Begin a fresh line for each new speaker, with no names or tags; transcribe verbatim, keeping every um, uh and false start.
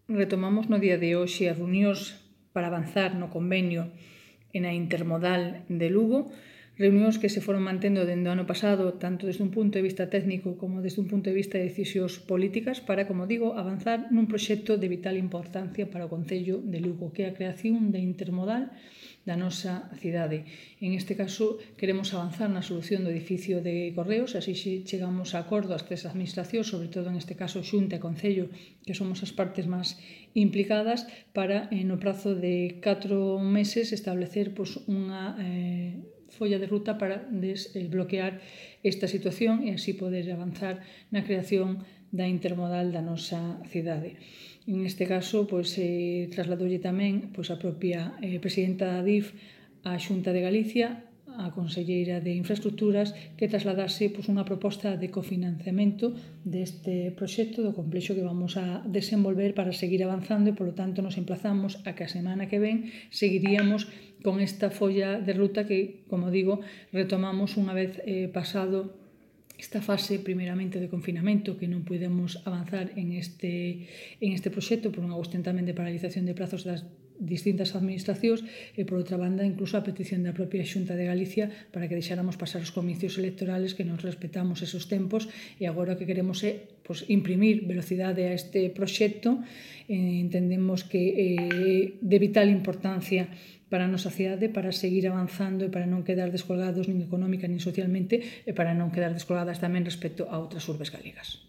retomamos no día de hoxe as reunións para avanzar no convenio e na intermodal de Lugo, reunións que se foron mantendo dende o ano pasado, tanto desde un punto de vista técnico como desde un punto de vista de decisións políticas, para, como digo, avanzar nun proxecto de vital importancia para o Concello de Lugo, que é a creación da intermodal da nosa cidade. En este caso, queremos avanzar na solución do edificio de Correos, así chegamos a acordo as tres administracións, sobre todo en este caso Xunta e Concello, que somos as partes máis implicadas, para, no prazo de catro meses, establecer pois, unha eh, folla de ruta para desbloquear esta situación e así poder avanzar na creación da intermodal da nosa cidade. En este caso, pois, eh, trasladolle tamén pois, a propia eh, presidenta da D I F á Xunta de Galicia, a conselleira de Infraestructuras, que trasladase pois, unha proposta de cofinanciamento deste proxecto do complexo que vamos a desenvolver para seguir avanzando e, polo tanto, nos emplazamos a que a semana que ven seguiríamos con esta folla de ruta que, como digo, retomamos unha vez eh, pasado esta fase primeiramente de confinamento que non podemos avanzar en este, en este proxecto por unha cuestión tamén de paralización de prazos das distintas administracións e, por outra banda, incluso a petición da propia Xunta de Galicia para que deixáramos pasar os comicios electorales, que nos respetamos esos tempos e agora o que queremos é pues, imprimir velocidade a este proxecto. Eh, entendemos que é eh, de vital importancia para a nosa cidade, para seguir avanzando e para non quedar descolgados nin económica nin socialmente e para non quedar descolgadas tamén respecto a outras urbes galegas.